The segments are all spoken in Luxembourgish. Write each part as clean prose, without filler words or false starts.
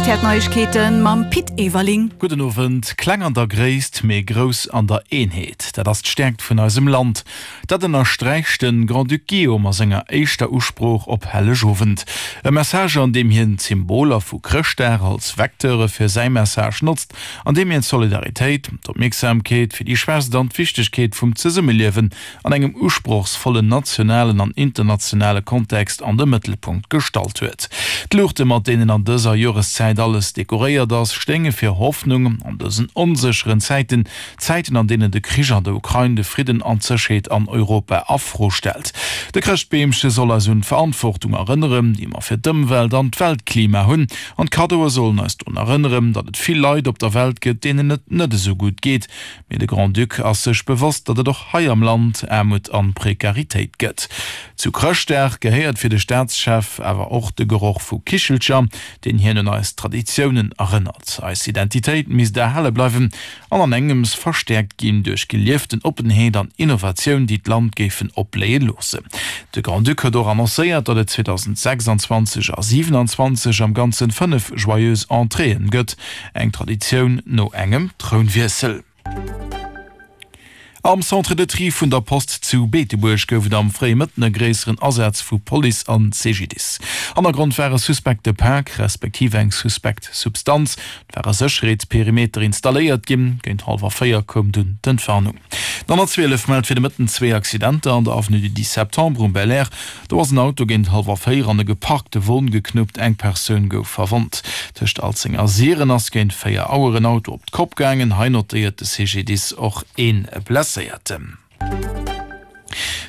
Rtl Neiegkeeten mam Pit Everling. Gudden Owend. Kleng an der Gréisst, mee grouss an der Eenheet, dat ass d'Stäerkt vun eisem Land. Dat ënnersträicht de Grand-Duc Guillaume a senger éischter Usprooch op Hellegowend. E Message, an deem hien d'Symboler vu Chrëschtdag als Vecteure fir säi Message notzt, an deem hien d'Solidaritéit, d'Opmierksamkeet fir déi Schwächst an d'Wichtegkeet vum Zesummeliewen an engem usprochsvollen nationalen an internationale Kontext an de Mëttelpunkt gestallt huet. D'Luuchte mat deenen an dëser Joreszäit alles dekoréiert ass, stéinge fir Hoffnung an dësen onsécheren Zäiten, Zäiten an deenen de Krich an der Ukrain de Fridden an d'Sécherheet an Europa a Fro stellt. De Chrëschtbeemche soll eis un d'Verantwortung erënneren, déi mer fir d'Ëmwelt an d'Weltklima hunn, an d'Kaddoe sollen eis drun erënneren, datt et vill Leit op der Welt gëtt, deenen et net esou gutt geet. Mee de Grand-Duc ass sech bewosst, datt et och hei am Land Aarmut an Prekaritéit gëtt. Zu Chrëschtdag gehéiert fir de Staatschef awer och de Geroch vu Kichelcher, deen hien un eis Traditiounen erënnert. Eis Identitéit misst erhale bleiwen an an engems verstäerkt ginn duerch gelieften Oppenheet an Innovatioun, déi d'Land géifen opbléie loossen. De Grand-Duc huet och annoncéiert, datt et 2026 a 27 am Ganzen 5 Joyeuses Entréeën gëtt. Eng Traditioun no engem Trounwiessel. Am Centre de Tri vun der Post zu Beetebuerg gouf et am fréie Mëtten e gréisseren Asaz vu Police an CGDIS. Hannergrond war e suspekte Pak, respektiv eng suspekt Substanz. Et war e Sécherheetsperimeter installéiert ginn. Géint hallwer 4 koum dunn d'Entwarnung. D'N 112 mellt fir de Mëtten zwee Accidenter an der Avenue du 10 Septembre um Belair. Do ass en Auto géint hallwer 4 an e geparkte Won geknuppt, eng Persoun gouf verwonnt. Tëscht Alzeng a Siren ass géint 4 Auer en Auto op d'Kopp gaangen. Hei notéiert de CGDIS och ee Blesséierten.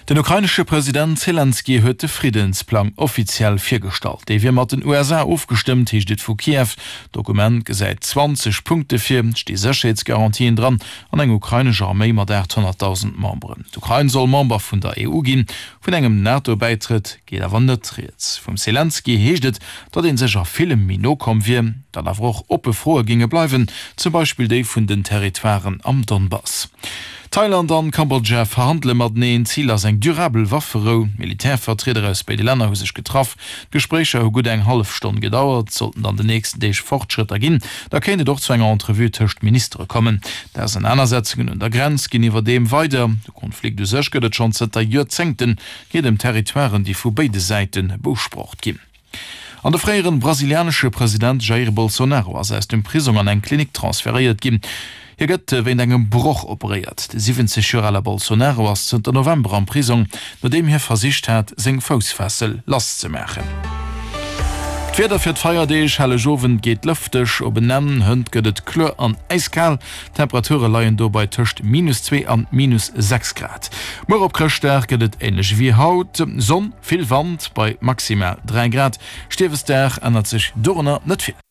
Den ukrainesche President Selenskyj huet de Friddensplang offiziell virgestallt. Dee wier mat den USA ofgestëmmt, heescht et vu Kiew. D'Dokument gesäit 20 Punkte vir, et sti Sécherheetsgarantien dran an eng ukrainesch Arméi mat 800.000 Memberen. D'Ukrain soll Member vun der EU ginn. Vun engem NATO-Bäitrëtt geet awer net rieds. Vum Selenskyj heescht et, datt ee sech a villem méi no komm wier, datt awer och oppe Froe géinge bleiwen, zum Beispill déi vun den Territoiren am Donbass. Thailand an Kambodja verhandele mateneen. Zil ass eng durabel Wafferou. Militärvertrieder aus béide Länner hu sech getraff. D'Gespréicher hu gutt eng hallef Stonn gedauert. Sollten et an den nächsten Deeg Fortschrëtter ginn, da kéint et och zu enger Entrevue tëscht Ministere kommen. D'Ausernanersetzungen un der Grenz ginn iwwerdeem weider. De Konflikt u sech gëtt et schonn zënter Joerzéngten, geet ëm Territoiren, déi vu béide Säite beusprocht ginn. An de fréieren brasilianesche President Jair Bolsonaro ass aus dem Prisong an eng Klinik transferéiert ginn. Hie gëtt wéint engem Broch operéiert. De 70 Joer ale Bolsonaro ass zënter November am Prisong, nodeem hie versicht hat, seng Foussfessel lasszemaachen. D'Wieder fir d'Feierdeeg, Hellegowend geet lëfteg op en Enn, hënt gëtt et kloer an äiskal. D'Temperature leien dobei tëscht minus 2 an minus 6 Grad. Muer op Chrëschtdag gëtt et änlech ewéi haut, Sonn, vill Wand bei maximal 3 Grad. Stiefesdag ännert sech dorunner net vill.